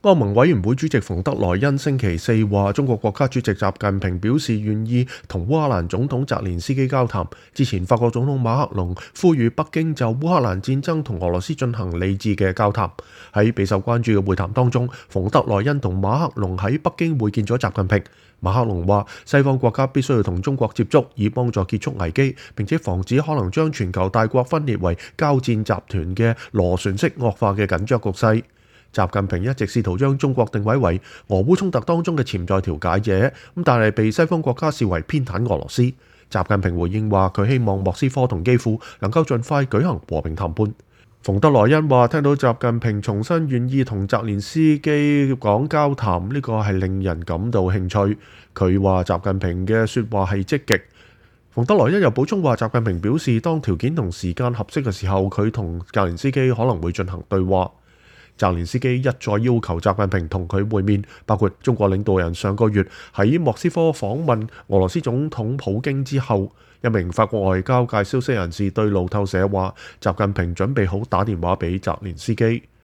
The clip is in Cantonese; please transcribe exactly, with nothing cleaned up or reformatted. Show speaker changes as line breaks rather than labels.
歐盟委員會主席馮德萊恩星期四話，中國國家主席習近平表示願意同烏克蘭總統澤連斯基交談。之前，法國總統馬克龍呼籲北京就烏克蘭戰爭同俄羅斯進行理智嘅交談。喺備受關注嘅會談當中，馮德萊恩同馬克龍喺北京會見咗習近平。馬克龍話，西方國家必須要同中國接觸，以幫助結束危機，並且防止可能將全球大國分裂為交戰集團嘅螺旋式惡化嘅緊張局勢。習近平一直試圖將中國定位為俄烏衝突當中嘅潛在調解者，咁但係被西方國家視為偏袒俄羅斯。習近平回應話，佢希望莫斯科同基輔能夠盡快舉行和平談判。馮德萊恩話，聽到習近平重新願意同澤連斯基講交談，呢個係令人感到興趣。佢話習近平嘅說話係積極。馮德萊恩又補充話，習近平表示當條件同時間合適嘅時候，佢同澤連斯基可能會進行對話。澤連斯基一再要求習近平同佢會面，包括中國領導人上個月喺莫斯科訪問俄羅斯總統普京之後。一名法國外交界消息人士對路透社話，習近平準備好打電話俾澤連斯基。